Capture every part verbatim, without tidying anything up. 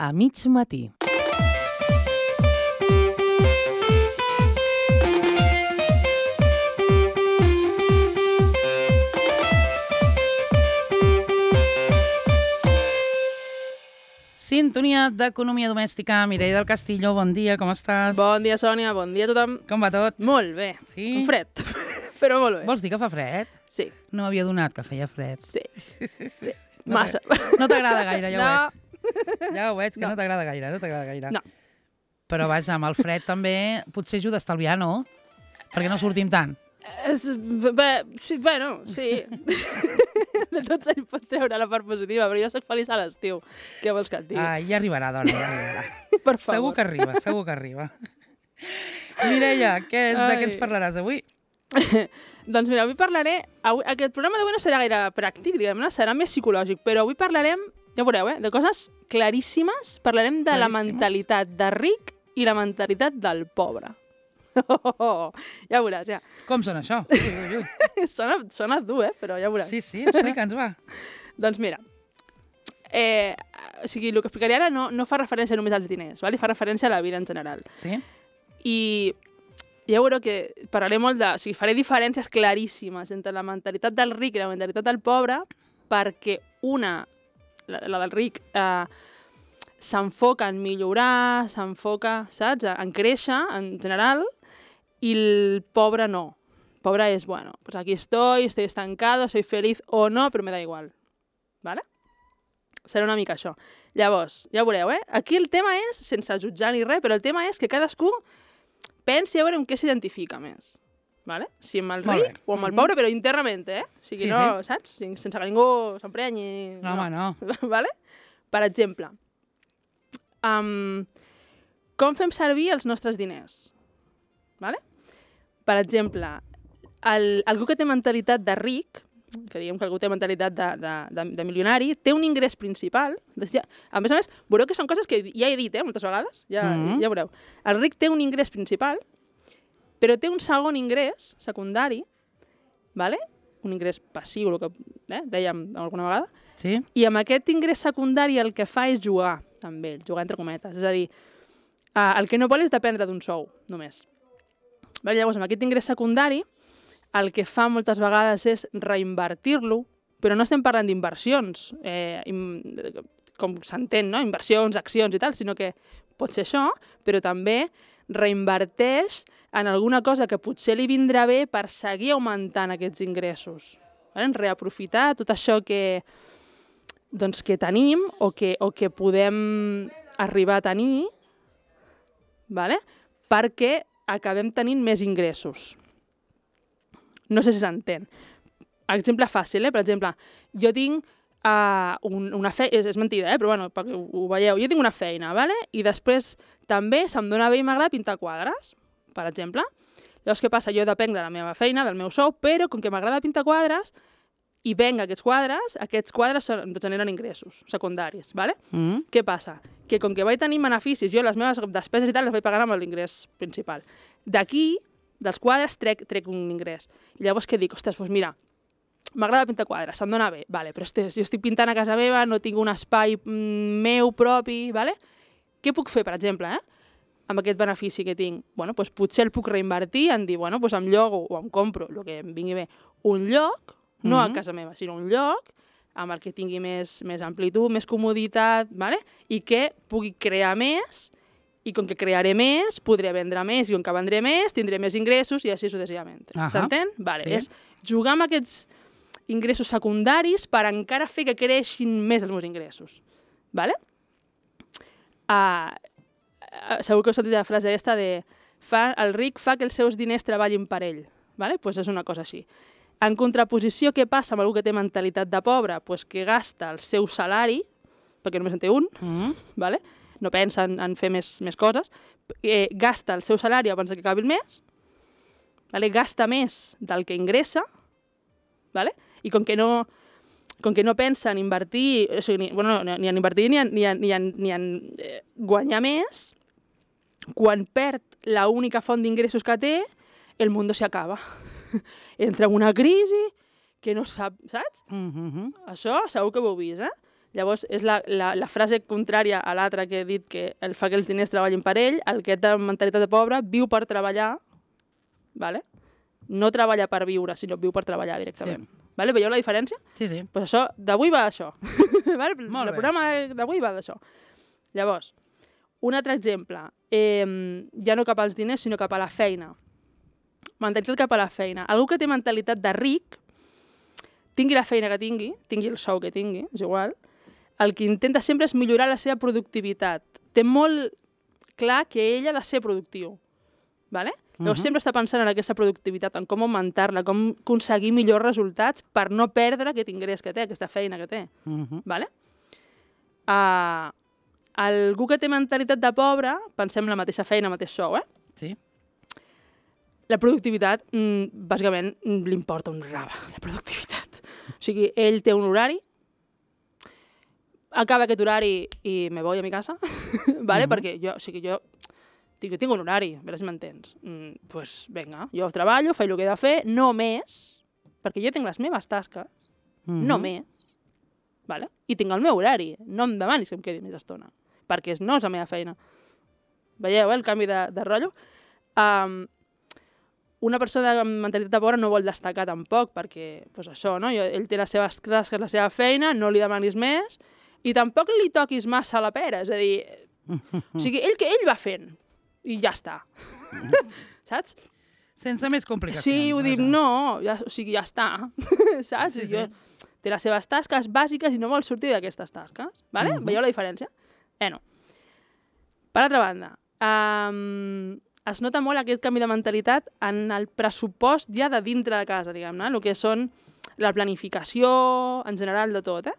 a mig matí. Sintonia d'Economia Domèstica. Mireia del Castillo, bon dia, com estàs? Bon dia, Sònia, bon dia a tothom. Com va tot? Molt bé. Sí? Un fred, però molt bé. Vols dir que fa fred? Sí. No m'havia donat que feia fred. Sí. sí. No Massa. No t'agrada gaire, ja no. ho veig. Ja ho veig, que no, No. no t'agrada gaire, no t'agrada gaire. No. Però vaja, amb el fred també potser ajuda a estalviar, no? Perquè no sortim tant. És, bé, sí, bueno, sí. De tot se li pot treure la part positiva, però jo soc feliç a l'estiu. Què vols que et digui? Ah, ja arribarà, dona, ja arribarà. Per favor. Segur que arriba, segur que arriba. Mireia, què, de què ens Ai. parlaràs avui? Doncs mira, avui parlaré... Avui, aquest programa d'avui no serà gaire pràctic, diguem-ne, serà més psicològic, però avui parlarem, ja veureu, eh, de coses claríssimes. Parlarem de la Claríssimes. mentalitat de ric i la mentalitat del pobre. Oh, oh, oh. Ja veuràs, ja. Com sona això? Ui, ui, ui. Sona, sona dur, eh? Però ja veuràs. Sí, sí, explica'ns, va. Doncs mira, eh, o sigui, el que explicaré ara no, no fa referència només als diners, ¿vale? Fa referència a la vida en general. Sí? I ja veureu que parlaré molt de... O sigui, faré diferències claríssimes entre la mentalitat del ric i la mentalitat del pobre, perquè una, la, la del ric, eh, s'enfoca en millorar, s'enfoca, saps?, en créixer, en general, i el pobre no. El pobre és, bueno, pues aquí estoy, estoy estancado, soy feliz o no, però me da igual. ¿Vale? Serà una mica això. Llavors, ja veureu, eh? Aquí el tema és, sense jutjar ni res, però el tema és que cadascú pensi a veure amb què s'identifica més. ¿Vale? Si amb el Molt ric bé. o amb el Mhm. pobre, però internament, eh? O sigui, Sí, no, sí. saps? Sense que ningú s'emprenyi. No, home, no. ¿Vale? Per exemple, um, com fem servir els nostres diners? ¿Vale? Per exemple, el, algú que té mentalitat de ric, que diguem que algú té mentalitat de, de, de, de milionari, té un ingrés principal. Ja, a més a més, veureu que són coses que ja he dit, eh, moltes vegades, ja, Mhm. ja veureu. El ric té un ingrés principal, però té un segon ingrés secundari, ¿vale? Un ingrés passiu, el que eh, dèiem alguna vegada, Sí? i amb aquest ingrés secundari el que fa és jugar amb ell, jugar entre cometes. És a dir, eh, el que no vol és dependre d'un sou, només. Vale, llavors, amb aquest ingrés secundari, el que fa moltes vegades és reinvertir-lo, però no estem parlant d'inversions, eh, im, com s'entén, no? Inversions, accions i tal, sinó que pot ser això, però també reinverteix en alguna cosa que potser li vindrà bé per seguir augmentant aquests ingressos. Vale? Reaprofitar tot això que, doncs, que tenim o que, o que podem arribar a tenir, vale? Perquè acabem tenint més ingressos. No sé si s'entén. Exemple fàcil, eh? Per exemple, jo tinc uh, un, una feina... És, és mentida, eh? Però bueno, perquè ho, ho veieu. Jo tinc una feina, vale? I després també se'm dona bé i m'agrada pintar quadres, per exemple. Llavors, què passa? Jo depenc de la meva feina, del meu sou, però com que m'agrada pintar quadres i venc aquests quadres, aquests quadres són, em generen ingressos secundaris, vale? Mm. Què passa? Que com que vaig tenir beneficis, jo les meves despeses i tal les vaig pagar amb l'ingrés principal. D'aquí, dels quadres, trec, trec un ingrés. I llavors què dic? Ostres, doncs mira, m'agrada pintar quadres, se'm dona bé, vale, però ostres, jo estic pintant a casa meva, no tinc un espai mm, meu propi, vale? Què puc fer, per exemple, eh? Amb aquest benefici que tinc? Bueno, doncs potser el puc reinvertir en dir, bueno, doncs em llogo o em compro, el que em vingui bé, un lloc, no Mhm. a casa meva, sinó un lloc amb el que tingui més, més amplitud, més comoditat, vale? I que pugui crear més, i com que crearé més, podré vendre més, i com que vendré més, tindré més ingressos, i així successivament. Ahà. S'entén? Vale, Sí. és jugar amb aquests ingressos secundaris per encara fer que creixin més els meus ingressos. Vale? Uh, uh, segur que heu sentit la frase aquesta de fa, el ric fa que els seus diners treballin per ell. Vale? Pues és una cosa així. En contraposició, què passa amb algú que té mentalitat de pobre? Pues que gasta el seu salari, perquè només en té un, Mm. vale? No pensa en, en fer més, més coses, eh, gasta el seu salari abans que acabi el mes, vale? Gasta més del que ingressa, vale? I com que no, com que no pensa en invertir, o sigui, ni, bueno, ni en invertir ni en, ni en, ni en, ni en eh, guanyar més, quan perd la única font d'ingressos que té, el mundo se acaba. Entra en una crisi que no sap, saps? Mm -hmm. Això segur que ho heu vist, eh? Llavors, és la, la, la frase contrària a l'altra que he dit, que el fa que els diners treballin per ell, el que té mentalitat de pobre viu per treballar, vale? No treballa per viure, sinó viu per treballar directament. Sí. Vale? Veieu la diferència? Sí, sí. Pues això, d'avui va d'això. Vale? Molt El bé. programa d'avui va d'això. Llavors, un altre exemple, eh, ja no cap als diners, sinó cap a la feina. Mentalitat cap a la feina. Algú que té mentalitat de ric, tingui la feina que tingui, tingui el sou que tingui, és igual, el que intenta sempre és millorar la seva productivitat. Té molt clar que ell ha de ser productiu. Vale? Llavors, uh -huh. sempre està pensant en aquesta productivitat, en com augmentar-la, com aconseguir millors resultats per no perdre aquest ingrés que té, aquesta feina que té. Uh -huh. Vale? Uh, algú que té mentalitat de pobre, pensem en la mateixa feina, el mateix sou, eh? Sí. La productivitat, mm, bàsicament, mm, li importa un rave, la productivitat. O sigui, ell té un horari, acaba aquest horari i me voy a mi casa, vale? Mhm. Perquè jo, o sigui, jo tinc, tinc un horari, a veure si m'entens. Mm, pues vinga, jo treballo, faig el que he de fer, no més, perquè jo tinc les meves tasques, Mhm. no més, vale? I tinc el meu horari, no em demanis que em quedi més estona, perquè no és la meva feina. Veieu, eh, el canvi de, de rotllo? Um, una persona amb mentalitat de pobre no vol destacar tampoc, perquè, pues això, no? Jo, ell té les seves tasques, la seva feina, no li demanis més, i tampoc li toquis massa la pera, és a dir, o sigui, ell que ell va fent, i ja està. Saps? Sense més complicacions. Sí, ho dic, vaja. no, ja, o sigui, ja està. Saps? Sí, Sí, sí. jo, té les seves tasques bàsiques i no vol sortir d'aquestes tasques. Vale? Mhm. Veieu la diferència? Bueno. Per altra banda, um, es nota molt aquest canvi de mentalitat en el pressupost ja de dintre de casa, diguem-ne, el que són la planificació, en general, de tot, eh?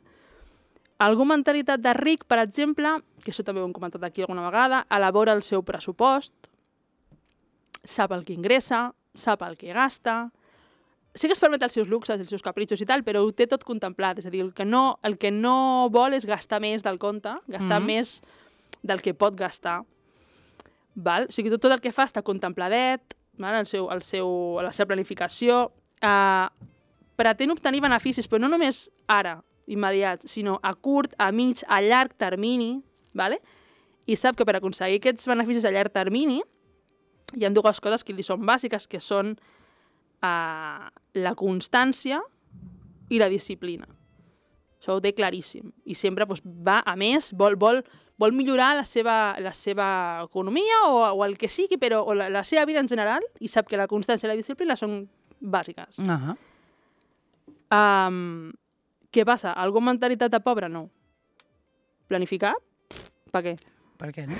Algú mentalitat de ric, per exemple, que això també ho hem comentat aquí alguna vegada, elabora el seu pressupost, sap el que ingressa, sap el que gasta, sí que es permet els seus luxes, els seus capritxos i tal, però ho té tot contemplat, és a dir, el que no, el que no vol és gastar més del compte, gastar Mhm. més del que pot gastar. Val? O sigui, tot, tot el que fa està contempladet, val? El seu, el seu, la seva planificació, eh, pretén obtenir beneficis, però no només ara, immediats, sinó a curt, a mig, a llarg termini, vale? I sap que per aconseguir aquests beneficis a llarg termini hi ha dues coses que li són bàsiques, que són uh, la constància i la disciplina. Això ho té claríssim. I sempre doncs, va a més, vol, vol, vol millorar la seva, la seva economia o, o el que sigui, però o la, la seva vida en general, i sap que la constància i la disciplina són bàsiques. Uh -huh. Um, què passa? Algú amb mentalitat de pobre? No. Planificar? Per què? Per què no?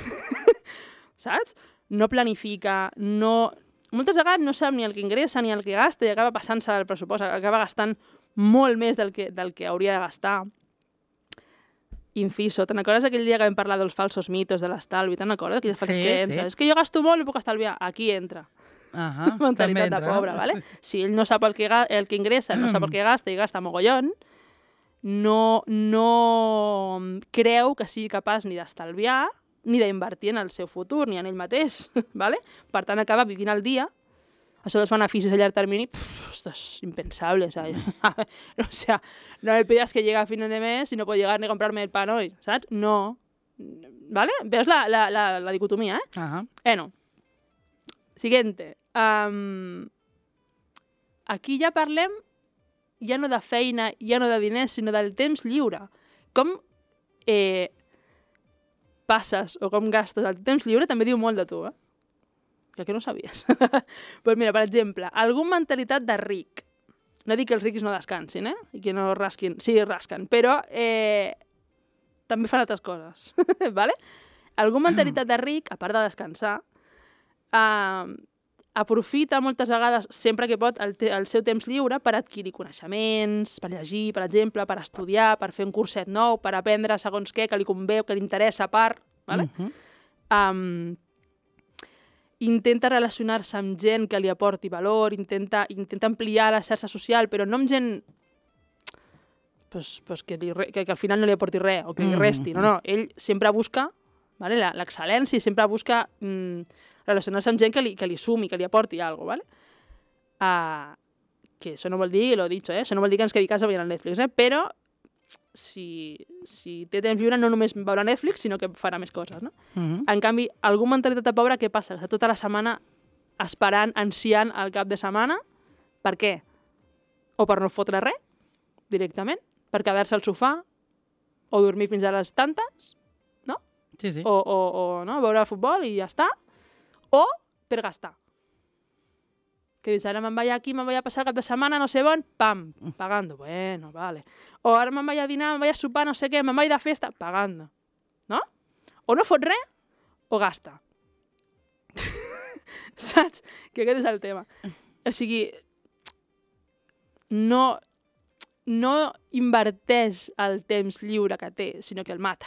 Saps? No planifica, no... Moltes vegades no sap ni el que ingressa ni el que gasta i acaba passant-se del pressupost, acaba gastant molt més del que, del que hauria de gastar. Inciso, te'n recordes aquell dia que vam parlar dels falsos mitos de l'estalvi? Te'n recordes? Aquelles falses Sí, creences. sí. És que jo gasto molt i puc estalviar. Aquí entra. Uh -huh. Mentalitat de pobre, ¿vale? Si ell no sap el que, ga- el que ingressa, no sap el que gasta i gasta mogollón, no, no creu que sigui capaç ni d'estalviar ni d'invertir en el seu futur, ni en ell mateix, ¿vale? Per tant, acaba vivint el dia. Això dels beneficis a llarg termini, pff, esto es impensable, ¿sabes? O sea, no me pidas que llegue a fin de mes y no puedo llegar ni a comprarme el pan hoy, ¿sabes? No. ¿Vale? Veus la, la, la, la dicotomia, eh? Uh -huh. Bueno. Siguiente. Um, aquí ja parlem ja no de feina, ja no de diners, sinó del temps lliure. Com eh, passes o com gastes el temps lliure també diu molt de tu, eh? Que aquí no ho sabies. Pues mira, per exemple, algun mentalitat de ric. No dic que els rics no descansin, eh? I que no rasquin. Sí, rasquen, però eh, també fan altres coses, ¿vale? Algun mentalitat de ric, a part de descansar, eh, aprofita moltes vegades, sempre que pot, el, te el seu temps lliure per adquirir coneixements, per llegir, per exemple, per estudiar, per fer un curset nou, per aprendre segons què, que li convé, que li interessa a part, ¿vale? Uh -huh. um, intenta relacionar-se amb gent que li aporti valor, intenta, intenta ampliar la xarxa social, però no amb gent pues, pues que, li, que, que al final no li aporti res o que li resti. No, no, ell sempre busca, ¿vale? l'excel·lència i sempre busca mm, relacionar-se amb gent que li, que li sumi, que li aporti alguna cosa. ¿Vale? Uh, que això no vol dir, lo he dicho, eh? Això no vol dir que ens quedi a casa veient el Netflix, eh? Però si, si té temps lliure no només veurà Netflix, sinó que farà més coses, no? Mhm. En canvi, algú mentalitat de pobre, què passa? Està tota la setmana esperant, ansiant el cap de setmana. Per què? O per no fotre res, directament, per quedar-se al sofà, o dormir fins a les tantes, no? Sí, sí. O, o, o no? veure futbol i ja està. O per gastar. Que dius, ara me'n vaig aquí, me'n vaig a passar el cap de setmana, no sé on, pam, pagando. Bueno, vale. O ara me'n vaig a dinar, me'n vaig a sopar, no sé què, me'n vaig de festa, pagando. No? O no fot res, o gasta. Saps? Que aquest és el tema. O sigui, no, no inverteix el temps lliure que té, sinó que el mata.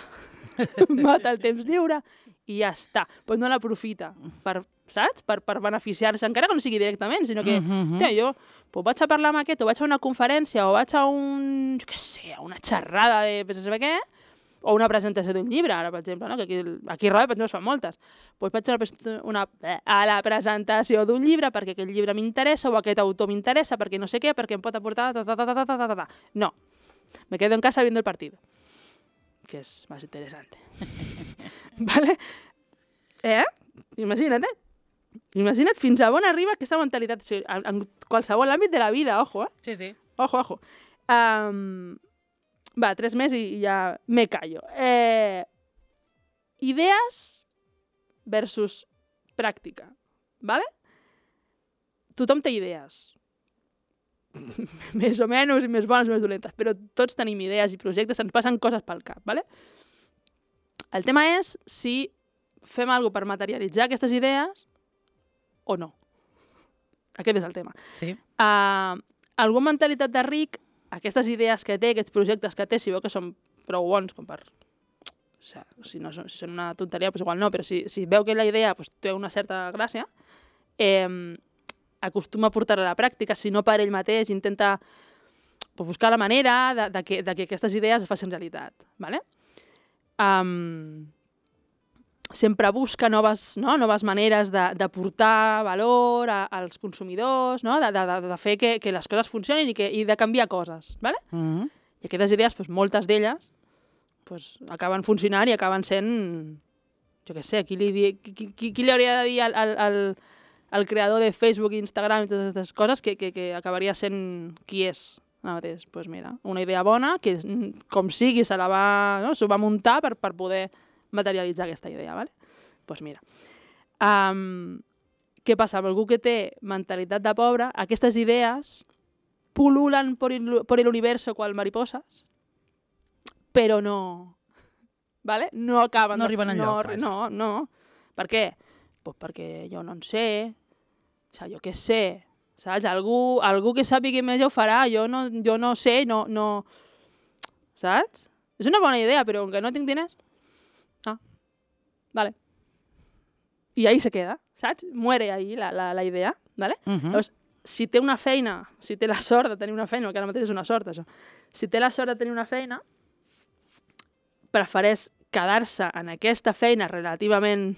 Mata el temps lliure i ja està. Però no l'aprofita per, saps? Per, per beneficiar-se, encara que no sigui directament, sinó que, Mhm. hòstia, jo pues, vaig a parlar amb aquest, o vaig a una conferència, o vaig a un, jo què sé, a una xerrada de no sé què, o una presentació d'un llibre, ara, per exemple, no? que aquí, aquí a Ràdio, per exemple, es fan moltes. Pues vaig a, una, una, a la presentació d'un llibre perquè aquest llibre m'interessa o aquest autor m'interessa perquè no sé què, perquè em pot aportar... Ta, ta, ta, ta, ta, ta, ta. No, me quedo en casa viendo el partido, que és més interessant. ¿Vale? Eh? Imagina't, eh? Imagina't fins a on arriba aquesta mentalitat, o sigui, en, en qualsevol àmbit de la vida, ojo, eh? Sí, sí. Ojo, ojo. Um, va, tres més i ja me callo. Eh, idees versus pràctica, ¿vale? Tothom té idees. Més o menys, i més bones, més dolentes, però tots tenim idees i projectes, ens passen coses pel cap, ¿vale? El tema és si fem alguna cosa per materialitzar aquestes idees o no. Aquest és el tema. Sí. Uh, algú amb mentalitat de ric, aquestes idees que té, aquests projectes que té, si veu que són prou bons com per... O sigui, si, no, si són una tonteria, doncs igual no, però si, si veu que la idea pues, té una certa gràcia, eh, acostuma a portar-la a la pràctica, si no per ell mateix, intenta pues, buscar la manera de, de, que, de que aquestes idees es facin realitat. ¿Vale? Um, sempre busca noves, no? noves maneres d'aportar valor a, als consumidors, no? de, de, de fer que, que les coses funcionin i, que, i de canviar coses. ¿Vale? Mhm. I aquestes idees, pues, moltes d'elles, pues, acaben funcionant i acaben sent, jo què sé, qui li, di, qui, qui, qui li hauria de dir al, al, al, al creador de Facebook, Instagram i totes aquestes coses que, que, que acabaria sent qui és ara mateix? Pues mira, una idea bona que com sigui se la va, no? s'ho va muntar per, per poder materialitzar aquesta idea, ¿vale? Pues mira. Um, què passa? Amb algú que té mentalitat de pobre, aquestes idees pululan por el, por el universo cual mariposas, però no, ¿vale? No acaben... No de, arriben no, enlloc, vaja. no, no. Per què? Pues perquè jo no en sé, o sigui, jo què sé, saps? Algú, algú que sàpiga més ja ho farà, jo no, jo no sé, no, no... Saps? És una bona idea, però com que no tinc diners... Ah, vale. I ahí se queda, saps? Muere ahí la, la, la idea, ¿vale? Mhm. Llavors, si té una feina, si té la sort de tenir una feina, que ara mateix és una sort, això, si té la sort de tenir una feina, prefereix quedar-se en aquesta feina relativament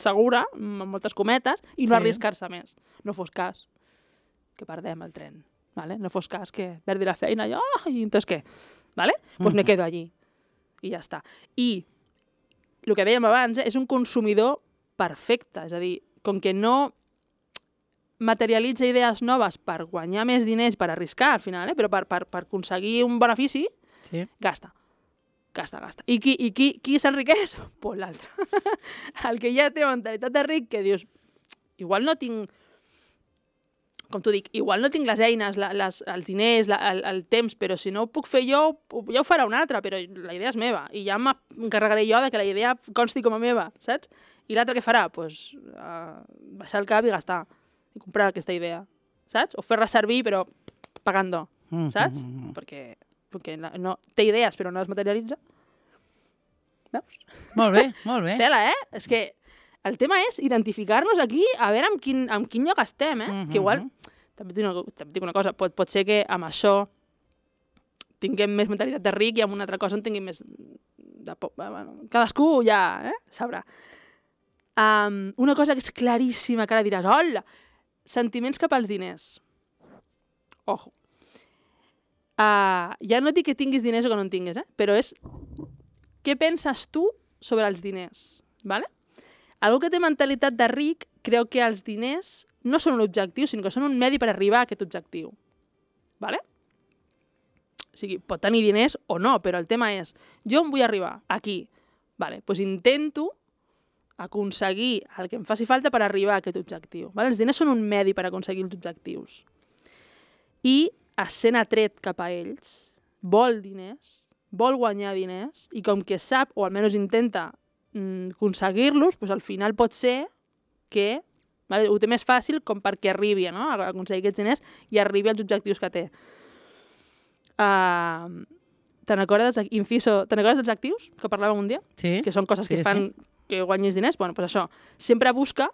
segura, amb moltes cometes, i no Sí. arriscar-se més. No fos cas que perdem el tren, ¿vale? No fos cas que perdi la feina i, oh, i entonces què? ¿Vale? Pues me quedo allí. I ja està. I el que dèiem abans, eh, és un consumidor perfecte, és a dir, com que no materialitza idees noves per guanyar més diners, per arriscar al final, eh? però per, per, per aconseguir un benefici, Sí. gasta. Gasta, gasta. I qui, i qui, qui s'enriqueix? Pues l'altre. El que ja té mentalitat de ric, que dius, igual no tinc, com t'ho dic, igual no tinc les eines, la, les, els diners, la, el, el temps, però si no ho puc fer jo, ja ho farà un altre, però la idea és meva. I ja m'encarregaré jo de que la idea consti com a meva, saps? I l'altre què farà? Pues, uh, baixar el cap i gastar. I comprar aquesta idea, saps? O fer-la servir, però pagant-ho, Mhm, saps? mhm. Perquè, perquè la- no, té idees, però no les materialitza. Veus? Molt bé, molt bé. Tela, eh? És que el tema és identificar-nos aquí, a veure amb quin, amb quin lloc estem, eh? Mhm. Que igual, també et dic una, també et dic una cosa, pot, pot ser que amb això tinguem més mentalitat de ric i amb una altra cosa en tinguem més de por. Bueno, cadascú ja, eh? Sabrà. Um, una cosa que és claríssima, que ara diràs, hola, sentiments cap als diners. Ojo. Uh, ja no et dic que tinguis diners o que no en tinguis, eh? Però és què penses tu sobre els diners, ¿vale? Algú que té mentalitat de ric creu que els diners no són un objectiu, sinó que són un medi per arribar a aquest objectiu. ¿Vale? O sigui, pot tenir diners o no, però el tema és, jo em vull arribar aquí. Vale, doncs intento aconseguir el que em faci falta per arribar a aquest objectiu. Vale? Els diners són un medi per aconseguir els objectius. I essent atret cap a ells, vol diners, vol guanyar diners, i com que sap, o almenys intenta mm, aconseguir-los, doncs al final pot ser que vale, ho té més fàcil com perquè arribi, no? a aconseguir aquests diners i arribi als objectius que té. Uh, Te'n recordes, inciso, te'n recordes dels actius que parlàvem un dia? Sí. Que són coses sí, que fan sí. que guanyis diners? Bueno, doncs això, sempre busca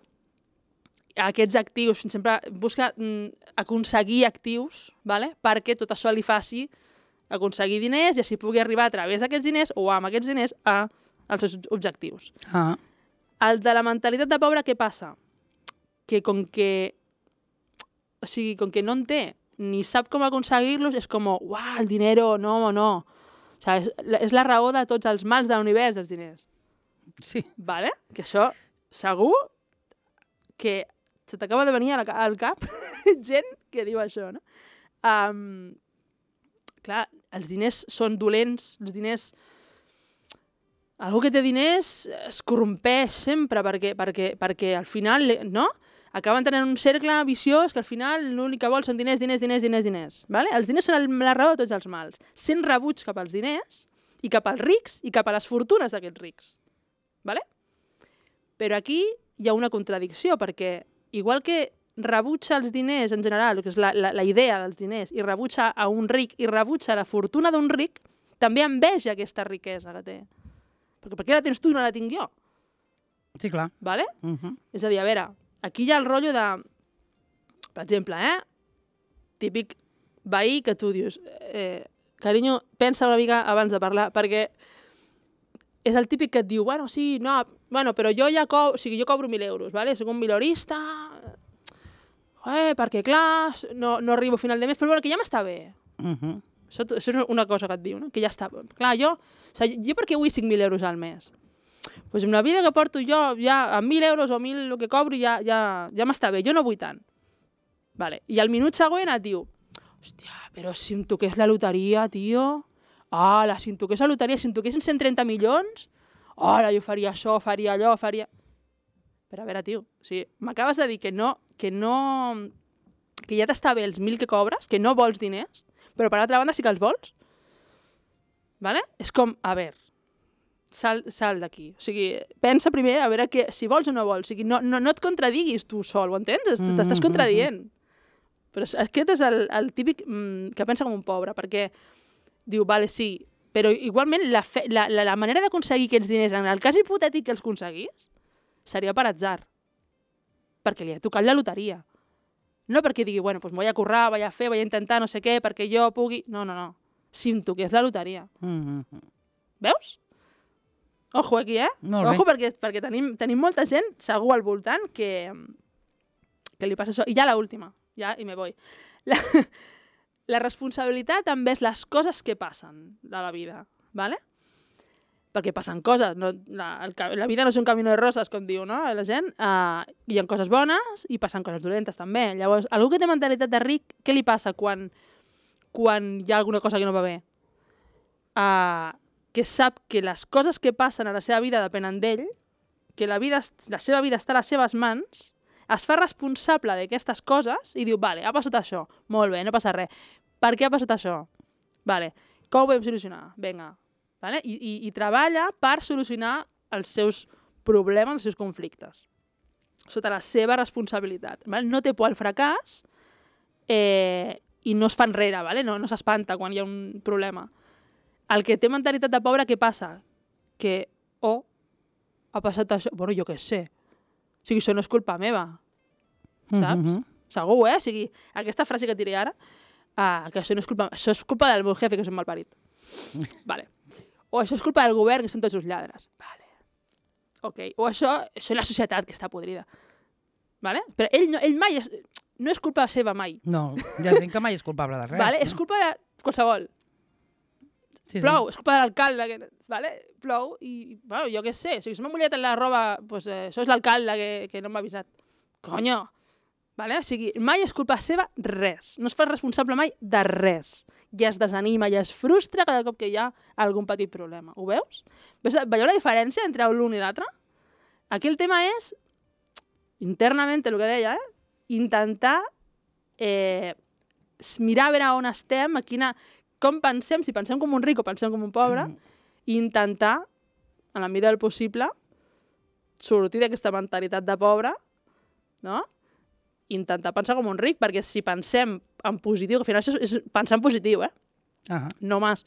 aquests actius, sempre busca mm, aconseguir actius, vale? Perquè tot això li faci aconseguir diners i així pugui arribar a través d'aquests diners o amb aquests diners a, als seus objectius. Ah. El de la mentalitat de pobre, què passa? Que com que, o sigui, com que no en té ni sap com aconseguir-los, és com, uah, el dinero, no, no. O sigui, és, és la raó de tots els mals de l'univers, els diners. Sí. Vale? Que això, segur que se t'acaba de venir al cap gent que diu això, no? Um, clar, els diners són dolents, els diners... Algú que té diners es corrompeix sempre perquè, perquè, perquè al final, no? Acaben tenint un cercle viciós que al final l'únic que vol són diners, diners, diners, diners, diners. Vale? Els diners són la raó de tots els mals. Sent rebuig cap als diners i cap als rics i cap a les fortunes d'aquests rics. Vale? Però aquí hi ha una contradicció, perquè igual que rebutja els diners en general, que és la, la, la idea dels diners, i rebutja a un ric i rebutja la fortuna d'un ric, també enveja aquesta riquesa que té. Perquè per què la tens tu i no la tinc jo? Sí, clar. Vale? Uh -huh. És a dir, a veure, aquí hi ha el rotllo de, per exemple, eh? típic veí que tu dius, eh, carinyo, pensa una mica abans de parlar, perquè és el típic que et diu, bueno, sí, no, bueno, però jo ja co o sigui, jo cobro mil euros, ¿vale? Soc un milorista, eh, perquè clar, no, no arribo a final de mes, però bueno, que ja m'està bé. Uh -huh. Això, això és una cosa que et diu, no? Que ja està. Clar, jo, o sigui, jo per què vull cinc mil euros al mes? Doncs pues amb la vida que porto jo, ja amb mil euros o mil el que cobro ja, ja, ja m'està bé, jo no vull tant. Vale. I al minut següent et diu, hòstia, però si em toqués la loteria, tio, ala, si em toqués la loteria, si em toquessin cent trenta milions, ala, jo faria això, faria allò, faria... Però a veure, tio, o sigui, m'acabes de dir que no, que no, que ja t'està bé els mil que cobres, que no vols diners, però per altra banda sí que els vols. Vale? És com, a veure, sal, sal d'aquí. O sigui, pensa primer a veure que, si vols o no vols. O sigui, no, no, no et contradiguis tu sol, ho entens? Mm-hmm. T'estàs contradient. Però aquest és el, el típic mm, que pensa com un pobre, perquè diu, vale, sí, però igualment la, fe, la, la, la manera d'aconseguir aquests diners, en el cas hipotètic que els aconseguís, seria per atzar. Perquè li ha tocat la loteria. No perquè digui, bueno, pues voy a currar, voy a fer, voy a intentar no sé què, perquè jo pugui... No, no, no. Si em toqués la loteria. Mm-hmm. Veus? Ojo aquí, eh? Molt Ojo, bé. perquè, perquè tenim, tenim molta gent segur al voltant que, que li passa això. I ja l'última, ja, i me voy. La, la responsabilitat també és les coses que passen de la vida, ¿vale? Perquè passen coses. No, la, el, la vida no és un camino de roses, com diu, no? La gent. Uh, hi ha coses bones i passen coses dolentes, també. Llavors, algú que té mentalitat de ric, què li passa quan, quan hi ha alguna cosa que no va bé? Uh, que sap que les coses que passen a la seva vida depenen d'ell, que la, vida, la seva vida està a les seves mans, es fa responsable d'aquestes coses i diu, vale, ha passat això, molt bé, no passa res. Per què ha passat això? Vale, com ho podem solucionar? Vinga. Vale? I, i, i treballa per solucionar els seus problemes, els seus conflictes, sota la seva responsabilitat. Vale? No té por al fracàs eh, i no es fa enrere, vale? no, no s'espanta quan hi ha un problema. El que té mentalitat de pobre, què passa? Que, oh, ha passat això... Bueno, jo què sé. O sigui, això no és culpa meva, saps? Mm-hmm. Segur, eh? O sigui, aquesta frase que diré ara, uh, que això no és culpa... Això és culpa del meu jefe, que és un malparit. Vale. O això és culpa del govern, que són tots uns lladres. Vale. Ok. O això, això és la societat, que està podrida. Vale? Però ell, no, ell mai és... No és culpa seva, mai. No, ja entenc que mai és culpable de res. Vale? No? És culpa de qualsevol. Sí, Plou, sí. és culpa de l'alcalde, que, vale? Plou, i, bueno, jo què sé, o sigui, si m'ha mullat en la roba, pues, eh, això és l'alcalde que, que no m'ha avisat. Conyo! Vale? O sigui, mai és culpa seva res. No es fa responsable mai de res. I es desanima i es frustra cada cop que hi ha algun petit problema. Ho veus? Veieu la diferència entre l'un i l'altre? Aquí el tema és, internament, el que deia, eh? intentar eh, mirar a veure on estem, a quina, com pensem, si pensem com un ric o pensem com un pobre, mm. i intentar, en la mesura del possible, sortir d'aquesta mentalitat de pobre, no? Intentar pensar com un ric, perquè si pensem en positiu, que al final això és pensar en positiu, eh? Ah. No más.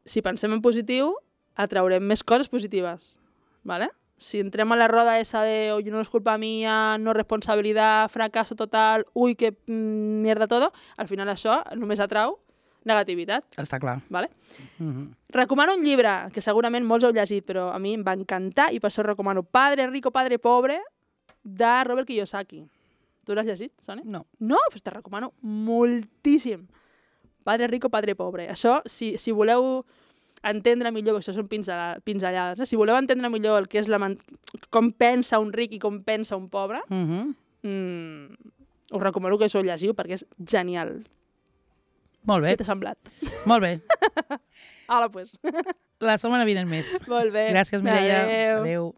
Si pensem en positiu, atraurem més coses positives, ¿vale? Si entrem a la roda esa de oye, no es culpa mía, no responsabilidad, fracaso total, uy, que mm, mierda todo, al final això només atrau negativitat. Està clar. ¿Vale? Mm-hmm. Recomano un llibre, que segurament molts heu llegit, però a mi em va encantar i per això recomano Padre Rico, Padre Pobre, de Robert Kiyosaki. Tu l'has llegit, Sònia? No. No? Pues te recomano moltíssim. Padre Rico, Padre Pobre. Això, si, si voleu entendre millor, això són pinzellades, eh? Si voleu entendre millor el que és la com pensa un ric i com pensa un pobre, Mm-hmm. mm, us recomano que això ho llegiu perquè és genial. Molt bé. Què t'ha semblat? Molt bé. Ala, pues. La setmana vinent més. Molt bé. Gràcies, Mireia. Adéu. Adéu.